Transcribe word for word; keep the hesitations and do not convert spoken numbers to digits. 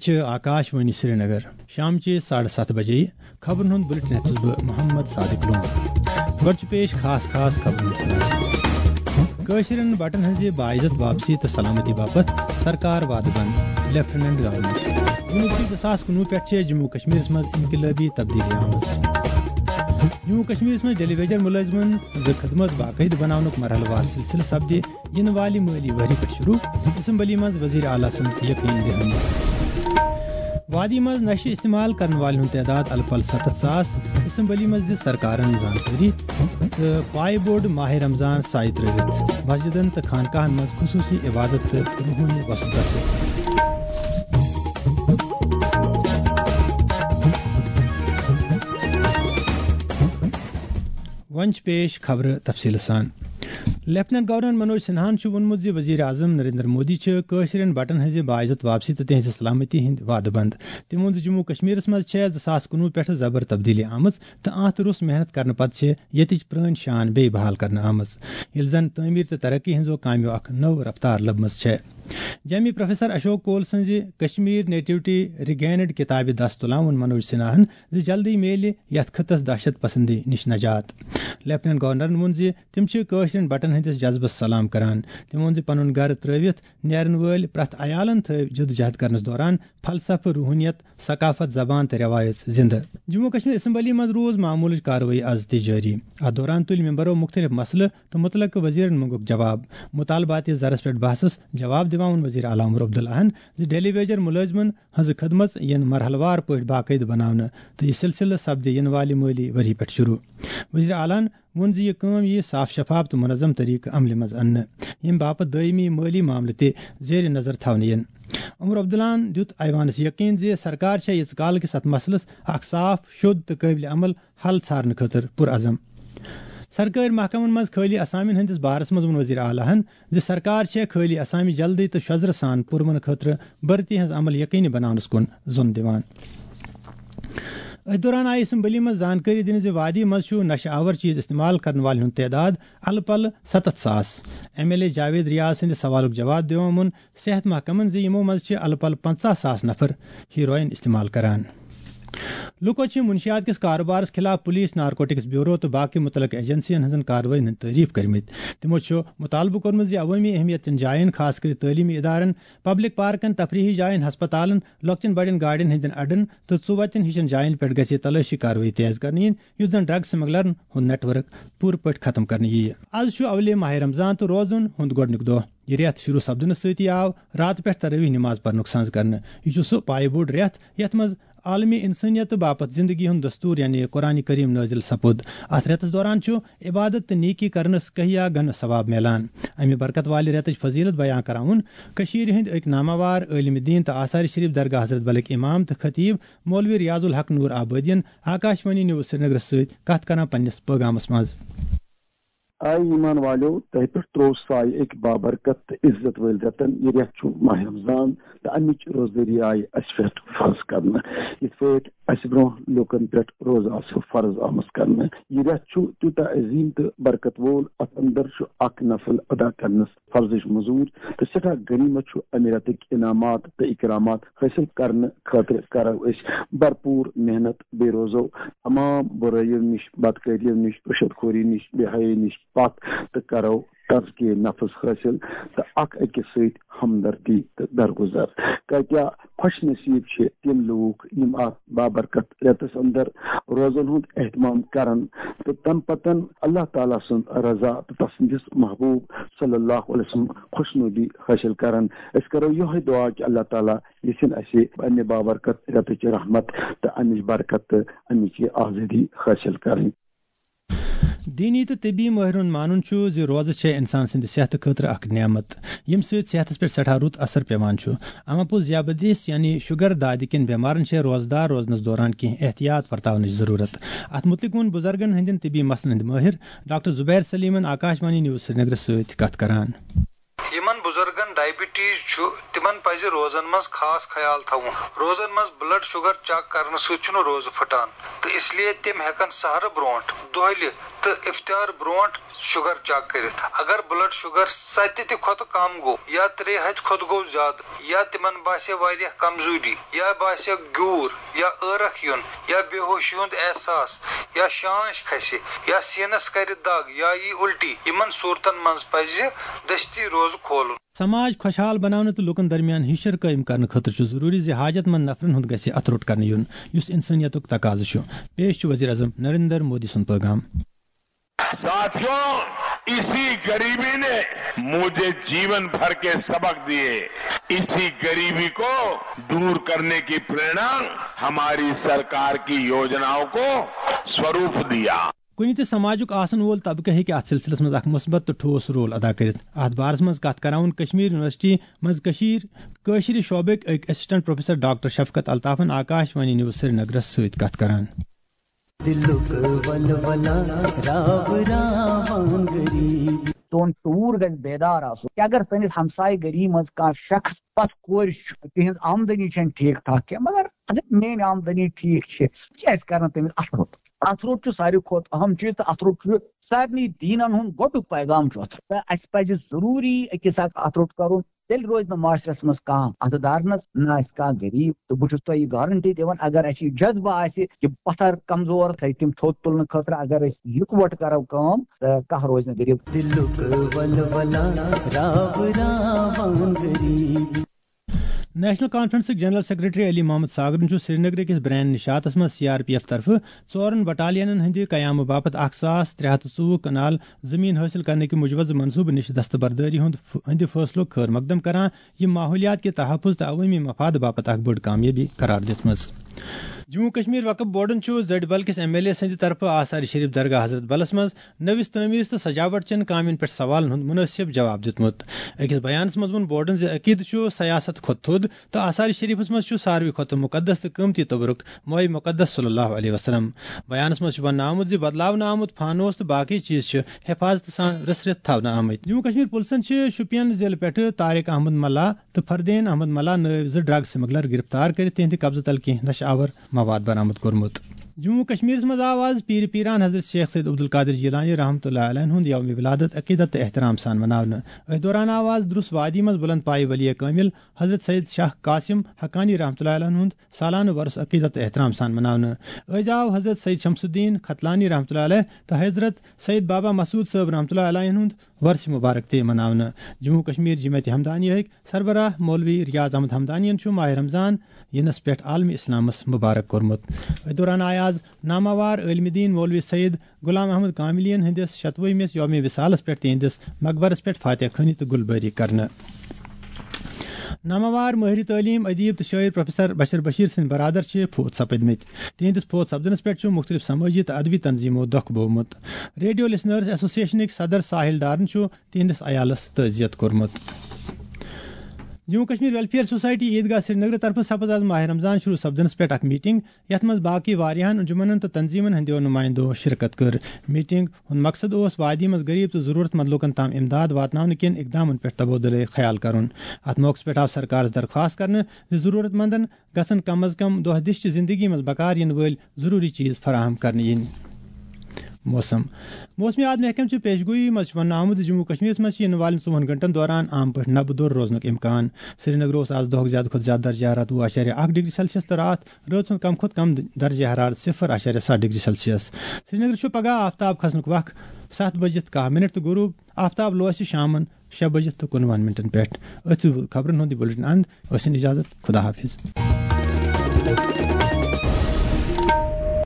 چھِ آکاش وانی سرینگر۔ شامچہِ ساڑٕ ستھ بجے خبرن ہُنٛد بُلٹن ہیٚتھ چھُس بہٕ محمد صادق لون۔ گۄڈٕ چھُ پیش خاص خاص خبرن ہُنٛد خلاصہٕ۔ کٲشرٮ۪ن بٹن ہٕنٛزِ باعزت واپسی تہٕ سلامتی باپتھ سرکار وعدٕ بنٛد، لیفٹیننٹ گورنر۔ وُنیُک زٕ ساس کُنوُہ پٮ۪ٹھ چھےٚ جموں کشمیرس منٛز انقلٲبی تبدیلی آمٕژ۔ جموں کشمیرس منٛز ٹیلی ویژن مُلٲزمن ہٕنٛز خدمت باقٲعدٕ بناونُک مرحلہٕ وار سلسلہٕ سپدِ یِنہٕ والہِ مٲلی ؤری پٮ۪ٹھ شروع، اسمبلی منٛز وزیر اعلیٰ سٕنٛز یقین دہانی۔ وادی منٛز نشہٕ استعمال کرن والٮ۪ن ہُنٛد تعداد الہٕ پلہٕ ستتھ ساس، اسمبلی منٛز دِژ سرکارن زانکٲری۔ تہٕ پایہِ بوٚڑ ماہِ رمضان سایہِ ترٲوِتھ مسجدن تہٕ خانقاہن منٛز خصوٗصی عبادت تہٕ روحٲنی وۄسہٕ دۄسہٕ۔ وۄنۍ چھِ پیش خبرٕ تفصیٖلہٕ سان۔ لیفٹیننٹ گورنر منوج سنہاہن چھُ ووٚنمُت زِ وزیر اعظم نریندر مودی چھِ کٲشرٮ۪ن بٹن ہٕنٛزِ باعزت واپسی تہٕ تِہنٛزِ سلامتی ہٕنٛدۍ وعدٕ بنٛد۔ تٔمۍ ووٚن زِ جموں کشمیرس منٛز چھےٚ زٕ ساس کُنوُہ پٮ۪ٹھٕ زبر تبدیلی آمٕژ تہٕ آنٛت روٚس محنت کرنہٕ پتہٕ چھِ ییٚتِچ پرٛٲنۍ شان بیٚیہِ بحال کرنہٕ آمٕژ، ییٚلہِ زن تعمیٖر تہٕ ترقی ہٕنٛزو کامٮ۪و اکھ نٔو رفتار لٔبمٕژ چھےٚ۔ جیمی پروفیسر اشوک کول سٕنٛزِ کشمیر نیٹیوٹی ریگینڈ کتابہِ دس تُلان ووٚن منوج سنہاہن زِ جلدی میلہِ یتھ خطس دہشت پسندی نِش نجات۔ لیفٹیننٹ گورنرن ووٚن زِ تِم چھِ کٲشرٮ۪ن بٹن ہٕنٛدِس جذبس سلام کران۔ تٔمۍ ووٚن زِ پنُن گرٕ ترٲوِتھ نیرن وٲلۍ پرٛٮ۪تھ عیالن تھٲوۍ جدوجہد کرنس دوران فلسفہٕ، روحانیت، ثقافت، زبان تہٕ رٮ۪وایژ زندٕ۔ جموں کشمیر اسمبلی منٛز روٗز معمولٕچ کاروٲیی از تہِ جٲری۔ اتھ دوران تُلۍ ممبرو مُختٔلِف مسلہٕ تہٕ مُتعلقہٕ وزیرن منٛگُکھ جواب۔ مطالباتی زرس پٮ۪ٹھ بحثس جواب دِوان ووٚن وزیر اعلیٰ عمر عبداللہن زِ ٹیلی ویژن مُلٲزمن ہٕنٛز خدمژ یِن مرحلہٕ وار پٲٹھۍ باقٲعدٕ بناونہٕ تہٕ یہِ سلسلہٕ سپدِ یِنہٕ والہِ مٲلی ؤری پٮ۪ٹھ شروع۔ وزیر اعلیٰ ہن ووٚن زِ یہِ کٲم یِیہِ صاف شفاف تہٕ منظم طریقہٕ عملہِ منٛز اننہٕ، ییٚمہِ باپتھ دٲیمی مٲلی معاملہٕ تہِ زیر نظر تھاونہٕ یِن۔ عمر عبداللہن دیُت ایوانس یقین زِ سرکار چھےٚ ییٖژ کال کِس اتھ مسلس اکھ صاف، شوٚد تہٕ قٲبلِ عمل حل ژھارنہٕ خٲطرٕ پُرعزم۔ سرکٲرۍ محکمن منٛز خٲلی اسامین ہٕنٛدِس بارس منٛز ووٚن وزیر اعلیٰ ہن زِ سرکار چھےٚ خٲلی اسامہِ جلدی تہٕ شۄزرٕ سان پُرمن خٲطرٕ بھرتی ہٕنٛز عمل یقینی بناونس کُن زوٚن دِوان۔ أتھۍ دوران آیہِ اسمبلی منٛز زانکٲری دِنہٕ زِ وادی منٛز چھُ نشہٕ آور چیز استعمال کرن والٮ۪ن ہُنٛد تعداد الہٕ پلہٕ ستتھ ساس۔ M L A Javed Riyaz سٕنٛدِ سوالُک جواب دِوان ووٚن صحت محکمن زِ یِمو منٛز چھِ الہٕ پلہٕ پنژاہ ساس نفر ہیروئن استعمال کران۔ لوٗکو چھِ منشیات کِس کارٕبارس خٕلاف پُلیٖس، نارکوٹکس بیورو تہٕ باقٕے مُتعلقہٕ ایجنسین ہٕنٛزن کاروٲیین ہٕنٛدۍ تعریٖف کٔرمٕتۍ۔ تِمو چھُ مُطالبہٕ کوٚرمُت زِ عوٲمی اہمیت چٮ۪ن جاین، خاص کٔرِتھ تعلیٖمی ادارن، پبلک پارکن، تفریحی جاین، ہسپتالن، لۄکچٮ۪ن بڑٮ۪ن گاڑٮ۪ن ہٕنٛدٮ۪ن اڈن تہٕ ژُوتٮ۪ن ہِشن جاین پٮ۪ٹھ گژھِ تلٲشی کاروٲیی تیز کرنہٕ یِنۍ، یُتھ زن ڈرگ سمگلرن ہُنٛد نیٹ ورک پوٗرٕ پٲٹھۍ ختم کرنہٕ یِیہِ۔ از چھُ اولے ماہِ رمضان تہٕ روزن ہُنٛد گۄڈٕنیُک دۄہ۔ یہِ رٮ۪تھ شروع سپدنہٕ سۭتی آو راتہٕ پٮ۪ٹھ تراویح نماز پرنُک سنز کرنہٕ۔ یہِ چھُ سُہ پایہِ بوٚڑ رٮ۪تھ یتھ منٛز عالمی انسٲنیت باپتھ زندگی ہُنٛد دستور یعنی قرآن کریم نٲزِل سپُد۔ اتھ رٮ۪تس دوران چھُ عبادت تہٕ نیکی کرنس کہیا گنہٕ ثواب میلان۔ امہِ برکت والہِ رٮ۪تٕچ فضیلت بیان کران ووٚن کٔشیٖرِ ہٕنٛدۍ أکۍ ناماوار عٲلمِ دیٖن تہٕ آثار شریف درگاہ حضرت بلٕکۍ امام تہٕ خطیب مولوی ریاض الحق نور آبٲدین آکاشوانی نیوز سرینگرس سۭتۍ کتھ کران پننِس پٲغامس منٛز۔ آے ایمان والیو، تۄہہِ پٮ۪ٹھ تروو سایہِ أکۍ بابرکت تہٕ عزت وٲلۍ رٮ۪تن۔ یہِ رٮ۪تھ چھُ ماہِ رمضان تہٕ امِچ روزدٲری آیہِ اسہِ پٮ۪ٹھ فرض کرنہٕ، یِتھ پٲٹھۍ اسہِ برونٛہہ لوٗکن پٮ۪ٹھ روزٕ آسہٕ فرض آمٕژ کرنہٕ۔ یہِ رٮ۪تھ چھُ تیوٗتاہ عظیٖم تہٕ برکت وول، اتھ اندر چھُ اکھ نفل ادا کرنس فرضٕچ مٔزوٗرۍ تہٕ سٮ۪ٹھاہ غنیٖمت چھُ۔ امہِ رٮ۪تٕکۍ انعامات تہٕ اکرامات حٲصِل کرنہٕ خٲطرٕ کرو أسۍ بھرپوٗر محنت، بیٚیہِ روزو تمام بُرٲیِو نِش، بدکٲریو نِش، رُشوت خوری نِش، بے حیٲیی نِش پتھ تہٕ کرو تزکیہ نفس حٲصِل تہٕ اکھ أکِس سۭتۍ ہمدردی تہٕ درگُزر۔ کۭتیاہ خۄش نصیٖب چھِ تِم لوٗکھ یِم اتھ بابرکت رٮ۪تس اندر روزن ہُنٛد اہتمام کرن تہٕ تمہِ پتن اللہ تعالیٰ سٕنٛز رضا تہٕ تسٕنٛدِس محبوب صلی اللہ علیہ وسلم خۄشنودی حٲصِل کرن۔ أسۍ کرو یِہوٚے دُعا کہِ اللہ تعالیٰ یژھِن اسہِ امہِ بابرکت رٮ۪تٕچ رحمت تہٕ امِچ برکت تہٕ امِچ یہِ آزٲدی حٲصِل کرٕنۍ۔ دیٖنی تہٕ طبی مٲہرَن مانُن چھُ زِ روزٕ چھےٚ اِنسان سٕنٛدِ صحتہٕ خٲطرٕ اکھ نعمت، ییٚمہِ سۭتۍ صحتَس پٮ۪ٹھ سٮ۪ٹھاہ رُت اثر پٮ۪وان چھُ۔ اما پوٚز ذیابطیس یعنی شُگر دادِ کٮ۪ن بٮ۪مارَن چھےٚ روزدار روزنَس دوران کینٛہہ احتیاط ورتاونٕچ ضروٗرت۔ اَتھ مُتعلِق ووٚن بُزرگَن ہٕنٛدٮ۪ن طبی مسلن ہٕنٛدۍ مٲہِر ڈاکٹر زُبیر سلیمَن آکاشوانی نیوز سرینگرَس سۭتۍ کَتھ کران۔ یِمن بُزرگن ڈائبٹیز چھُ، تِمن پزِ روزن منٛز خاص خیال تھاوُن۔ روزن منٛز بلڈ شوگر چیک کرنہٕ سۭتۍ چھُنہٕ روزٕ پھٹان، تہٕ اس لیے تِم ہٮ۪کن سحرٕ برونٛٹھ، دۄہلہِ تہٕ افطار برونٛٹھ شوگر چیک کٔرِتھ۔ اگر بلڈ شوگر ستہِ تہِ کھۄتہٕ کم گوٚو یا ترٛےٚ ہتہِ کھۄتہٕ گوٚو زیادٕ، یا تِمن باسہِ واریاہ کمزوری، یا باسہِ گیوٗر، یا ٲرکھ یُن، یا بے ہوشی ہُنٛد احساس، یا شانش کھسہِ، یا سینس کرِ دگ، یا یی الٹی، یِمن صورتن منٛز پزِ دستی روزٕ کھولُن۔ سماج خۄشحال بناونہٕ تہٕ لوٗکن درمیان ہِشر قٲیِم کرنہٕ خٲطرٕ چھُ ضروٗری زِ حاجت مند نفرن ہُنٛد گژھِ اتھٕ روٚٹ کرنہٕ یُن، یُس انسٲنیتُک تقاضہٕ چھُ۔ پیش چھُ وزیر اعظم نریندر مودی سُنٛد پیغام۔ ساتھیوں، اسی غریبی نے مجھے جیون بھر کے سبق دیے۔ اسی غریبی کو دور کرنے کی پریرنا ہماری سرکار کی योजनाओं को स्वरूप दिया۔ کُنہِ تہِ سماجُک آسن وول طبقہٕ ہیٚکہِ اتھ سلسلس منٛز اکھ مثبت تہٕ ٹھوس رول ادا کٔرِتھ۔ اتھ بارس منٛز کتھ کران ووٚن کشمیر یونیورسٹی منٛز کشیر کٲشرِ شعبٕکۍ أکۍ اسسٹنٹ پروفیسر ڈاکٹر شفقت الطافن آکاش وانی نیوز سرینگرس سۭتۍ کتھ کران۔ دلُک ولولہ راو راوان غریب۔ تُہُنٛد شعوٗر گژھِ بیدار آسُن کہ اگر سٲنِس ہمسایہِ گٔری منٛز کانٛہہ شخص پتھ کورِ چھُ، تِہنٛز آمدنی چھنہٕ ٹھیٖک ٹھاک کینٛہہ، مگر اگر میٲنۍ آمدنی ٹھیٖک چھِ، بہٕ کیازِ کرٕ نہٕ تٔمِس اَتھٕ روٚٹ؟ اَتھٕ روٚٹ چھُ ساروی کھۄتہٕ اہم چیٖز، تہٕ اَتھٕ روٚٹ چھُ سارنٕے دیٖنن ہُنٛد گۄڈُک پیغام چھُ اَتھ۔ تہٕ اَسہِ پَزِ ضروٗری أکِس اکھ اَتھٕ روٚٹ کرُن، تیٚلہِ روزِ نہٕ معاشرس منٛز کانٛہہ اَتھٕ دارنس، نہ آسہِ کانٛہہ غریٖب۔ تہٕ بہٕ چھُس تۄہہِ یہِ گارنٹی دِوان، اگر اَسہِ یہِ جذبہٕ آسہِ کہِ پتھر کمزور تھٲوِتھ تِم تھوٚد تُلنہٕ خٲطرٕ، اگر أسۍ یِکوَٹہٕ کرو کٲم، تہٕ کانٛہہ روزِ نہٕ غریٖب۔ دلُک ولولہ راو راوان غریٖب۔ نیشنل کانفرنسٕکۍ جنرل سیکرٹری علی محمد ساگرن چھُ سرینگر کِس برین نشاتس منٛز سی آر پی ایف طرفہٕ ژورن بٹالینن ہٕنٛدِ قیامہٕ باپتھ اکھ ساس ترٛےٚ ہتھ ژوٚوُہ کنال زٔمیٖن حٲصِل کرنٕکہِ موجودٕ منصوٗبہٕ نِش دستبردٲری ہُنٛد ف-، ہٕنٛدِ فٲصلُک خٲر مقدم کران، یہِ ماحولیات کہِ تحفظ تہٕ عوٲمی مفاد باپتھ اکھ بٔڑ کامیٲبی قرار دِژمٕژ۔ جموں کشمیر وقف بورڈن چھُ زڈ بل کِس ایم ایل اے سٕنٛدِ طرفہٕ آثار شریف درگاہ حضرت بلس منٛز نٔوِس تعمیٖرس تہٕ سجاوٹ چٮ۪ن کامٮ۪ن پٮ۪ٹھ سوالن ہُنٛد مُنٲسِب جواب دیُتمُت۔ أکِس بیانس منٛز ووٚن بورڈن زِ عقیدٕ چھُ سیاست کھۄتہٕ تھوٚد تہٕ آثار شریفس منٛز چھُ ساروٕے کھۄتہٕ مُقدس تہٕ قۭمتی تبرک مٲے مُقدس صلی اللہ علیہ وسلم۔ بیانس منٛز چھُ وننہٕ آمُت زِ بدلاونہٕ آمُت فانوس تہٕ باقی چیز چھِ حفاظتہٕ سان رٔسرِتھ تھاونہٕ آمٕتۍ۔ جموں کشمیر پُلسن چھِ شوپین ضلعہٕ پٮ۪ٹھٕ طارق احمد ملا تہٕ فردین احمد ملا نٲوۍ زٕ ڈرگ سمگلر گرفتار کٔرِتھ تِہنٛدِ قبضہٕ تل کینٛہہ نشہٕ آور مواد برآمد کوٚرمُت۔ جموں و کشمیرس منٛز آو آز پیٖرِ پیٖران حضرت شیخ سید عبدالقادر جیلانی رحمتہ اللہ علیہ ہُنٛد یوم ولادت عقیدت تہٕ احترام سان مناونہٕ۔ أتھۍ دوران آو آز درُس وادی منٛز بلند پایہِ ولی کٲمل حضرت سید شاہ قاسم حقانی رحمتہ اللہ علیہ ہُنٛد سالانہٕ ورُس عقیدت تہٕ احترام سان مناونہٕ۔ أزۍ آو حضرت سید شمس الدین ختلانی رحمتہ اللہ علیہ تہٕ حضرت سید بابا مسعود صٲب رحمتہ اللہ علیہ ہُنٛد ورث مبارک تہِ مناونہٕ۔ جموں کشمیر جماعت ہمدانیہٕکۍ سربراہ مولوی ریاض احمد ہمدانین چھُ ماہ رمضان یِنس پٮ۪ٹھ عالم اسلامس مبارک کوٚرمُت۔ أتھۍ دوران آیہِ آز ناماوار عالم دین مولوی سید غلام احمد کاملین ہٕنٛدِس شتوُہمِس یوم وصالس پٮ۪ٹھ تِہنٛدِس مقبرس پٮ۪ٹھ فاتح خٲنی تہٕ گُل بٲری کرنہٕ۔ ناماوار مٲہرِ تعلیٖم، ادیب تہٕ شٲعر پروفیسر بشر بشیر سٕنٛدۍ برادر چھِ فوت سپدمٕتۍ۔ تِہنٛدِس فوت سپدنس پٮ۪ٹھ چھُ مُختٔلِف سمٲجی تہٕ ادبی تنظیمو دۄکھ بوومُت۔ ریڈیو لسنرز ایسوسیشنٕکۍ صدر ساحل ڈارن چھُ تِہنٛدِس عیالس تعزیت کوٚرمُت۔ جموں کشمیر ویلفیئر سوسائٹی عیدگاہ سرینگر طرفہٕ سپٕز آز ماہ رمضان شروع سپدنس پٮ۪ٹھ اکھ میٹنگ، یتھ منٛز باقی واریاہن انجمنن تہٕ تنظیمن ہٕنٛدیو نمایندو شرکت کٔر۔ میٹنگ ہُنٛد مقصد اوس وادی منٛز غریب تہٕ ضروٗرت مند لوٗکن تام امداد واتناونہٕ کٮ۪ن اقدامن پٮ۪ٹھ تبادلہٕ خیال کرُن۔ اتھ موقعس پٮ۪ٹھ آو سرکارس درخواست کرنہٕ زِ ضروٗرت مندن گژھن کم از کم دۄہ دِش چہِ زندگی منٛز بکار یِنہٕ وٲلۍ ضروٗری چیز فراہم کرنہٕ یِنۍ۔ موسم۔ موسمیات محکمہٕ چہِ پیشگویی منٛز چھُ وننہٕ آمُت زِ جموں کشمیرس منٛز چھِ یِنہٕ والٮ۪ن ژوٚوُہن گھنٹن دوران عام پٲٹھۍ نبہٕ دوٚر روزنُک امکان۔ سرینگر اوس آز دۄہُک زیادٕ کھۄتہٕ زیادٕ درجہ حرارت وُہ اعشاریہ اکھ ڈگری سیلسیس تہٕ راتھ رٲژ ہُنٛد کم کھۄتہٕ کم درجہ حرارت صفر اعشاریہ ستھ ڈگری سیلسیس۔ سرینگر چھُ پگہہ آفتاب کھسنُک وق ستھ بجِتھ کاہ منٹ تہٕ غروب آفتاب لوسہِ شامن شےٚ بجِتھ تہٕ کُنوُہن منٹن پٮ۪ٹھ۔ أتھۍ خبرن ہُنٛد یہِ بُلٹن اند۔ ٲسِن اجازت، خدا حافظ۔